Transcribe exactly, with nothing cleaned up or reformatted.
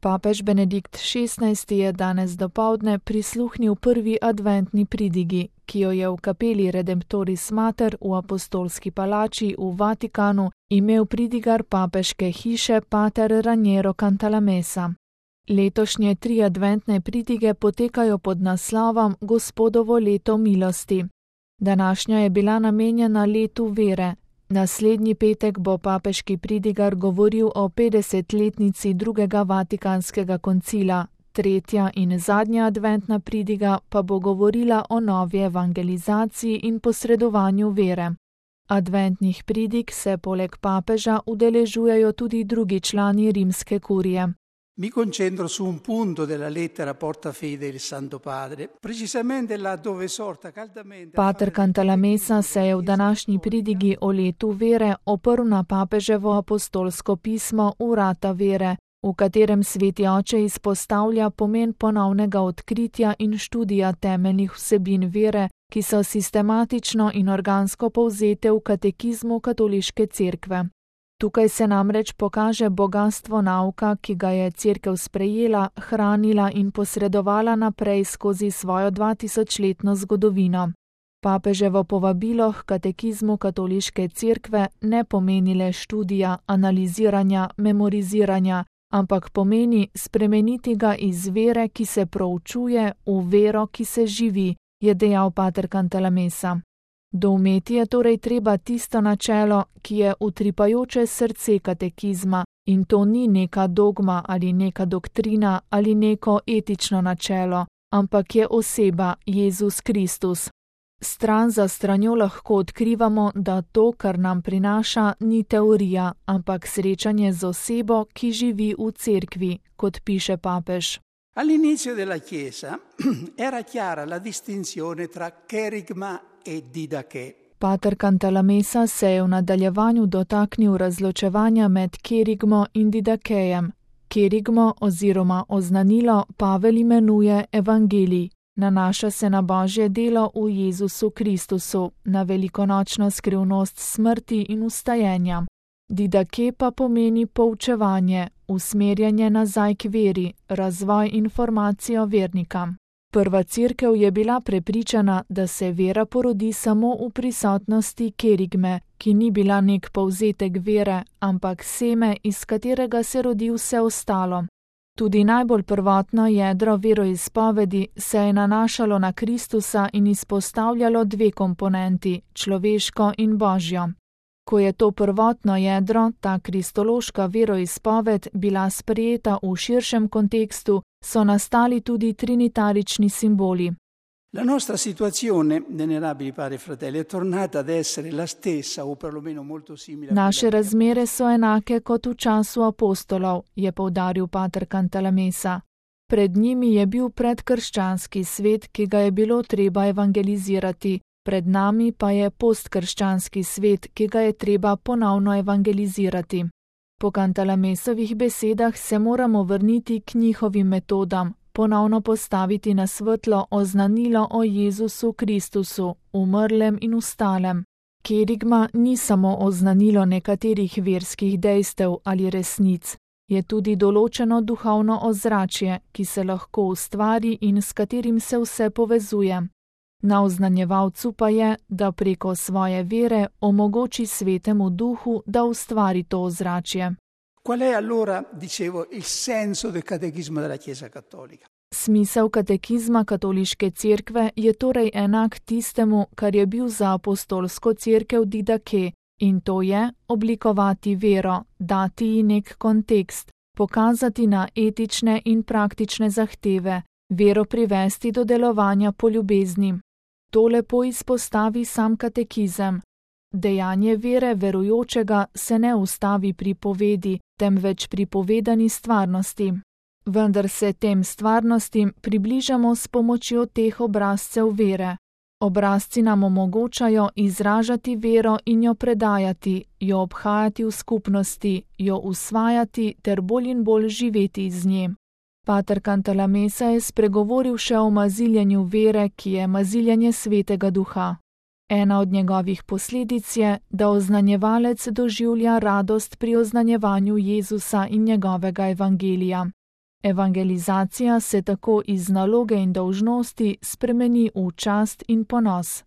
Papež Benedikt šestnajsti je danes dopoldne prisluhnil prvi adventni pridigi, ki jo je v kapeli Redemptoris Mater v Apostolski palači v Vatikanu imel pridigar papeške hiše pater Raniero Cantalamessa. Letošnje tri adventne pridige potekajo pod naslovom Gospodovo leto milosti. Današnja je bila namenjena letu vere. Naslednji petek bo papeški pridigar govoril o petdesetletnici drugega Vatikanskega koncila, tretja in zadnja adventna pridiga pa bo govorila o novi evangelizaciji in posredovanju vere. Adventnih pridig se poleg papeža udeležujejo tudi drugi člani rimske kurije. Mi concentro su un punto della lettera porta fede del Santo Padre, precisamente là dove esorta caldamente. Pater Cantalamessa se je v današnji pridigi o letu vere oprl na papeževo apostolsko pismo Vrata vere, v katerem sveti oče izpostavlja pomen ponovnega odkritja in študija temeljnih vsebin vere, ki so sistematično in organsko povzete v katekizmu katoliške cerkve. Tukaj se namreč pokaže bogastvo nauka, ki ga je cerkev sprejela, hranila in posredovala naprej skozi svojo dvatisočletno zgodovino. Papeževo povabilo k katekizmu katoliške cerkve ne pomeni le študija, analiziranja, memoriziranja, ampak pomeni spremeniti ga iz vere, ki se proučuje, v vero, ki se živi, je dejal pater Cantalamessa. Doumeti je torej treba tisto načelo, ki je utripajoče srce katekizma, in to ni neka dogma ali neka doktrina ali neko etično načelo, ampak je oseba Jezus Kristus. Stran za stranjo lahko odkrivamo, da to, kar nam prinaša, ni teorija, ampak srečanje z osebo, ki živi v cerkvi, kot piše papež. All'inizio della Chiesa era chiara la distinzione tra kerigma e didache. Pater Cantalamessa se je v nadaljevanju dotaknil razločevanja med kerigmo in didakejem. Kerigmo oziroma oznanilo Pavel imenuje evangelij. Nanaša se na Božje delo v Jezusu Kristusu, na velikonočno skrivnost smrti in vstajenja. Didake pa pomeni poučevanje, usmerjanje nazaj k veri, razvoj informacijo vernika. Prva cerkev je bila prepričana, da se vera porodi samo v prisotnosti kerigme, ki ni bila nek povzetek vere, ampak seme, iz katerega se rodi vse ostalo. Tudi najbolj prvotno jedro veroizpovedi se je nanašalo na Kristusa in izpostavljalo dve komponenti, človeško in božjo. Ko je to prvotno jedro, ta kristološka veroizpoved, bila sprejeta v širšem kontekstu, so nastali tudi trinitarični simboli. La nostra situazione, venerabili padri e fratelli, è tornata ad essere la stessa o perlomeno molto simile. Naše razmere so enake kot v času apostolov, je poudaril pater Cantalamessa. Pred njimi je bil predkrščanski svet, ki ga je bilo treba evangelizirati. Pred nami pa je postkrščanski svet, ki ga je treba ponovno evangelizirati. Po Cantalamessovih besedah se moramo vrniti k njihovim metodam, ponovno postaviti na svetlo oznanilo o Jezusu Kristusu, umrlem in vstalem. Kerigma ni samo oznanilo nekaterih verskih dejstev ali resnic, je tudi določeno duhovno ozračje, ki se lahko ustvari in s katerim se vse povezuje. Na oznanjevalcu pa je, da preko svoje vere omogoči svetemu duhu, da ustvari to ozračje. Qual è allora, dicevo, il senso del catechismo della Chiesa Cattolica? Smisel katekizma katoliške cerkve je torej enak tistemu, kar je bil za apostolsko cerkev didake, in to je oblikovati vero, dati ji nek kontekst, pokazati na etične in praktične zahteve, vero privesti do delovanja po ljubezni. To lepo izpostavi sam katekizem. Dejanje vere verujočega se ne ustavi pri povedi, temveč pri povedani stvarnosti. Vendar se tem stvarnostim približamo s pomočjo teh obrazcev vere. Obrazci nam omogočajo izražati vero in jo predajati, jo obhajati v skupnosti, jo usvajati ter bolj in bolj živeti z nje. Pater Cantalamessa je spregovoril še o maziljenju vere, ki je maziljenje svetega duha. Ena od njegovih posledic je, da oznanjevalec doživlja radost pri oznanjevanju Jezusa in njegovega evangelija. Evangelizacija se tako iz naloge in dolžnosti spremeni v čast in ponos.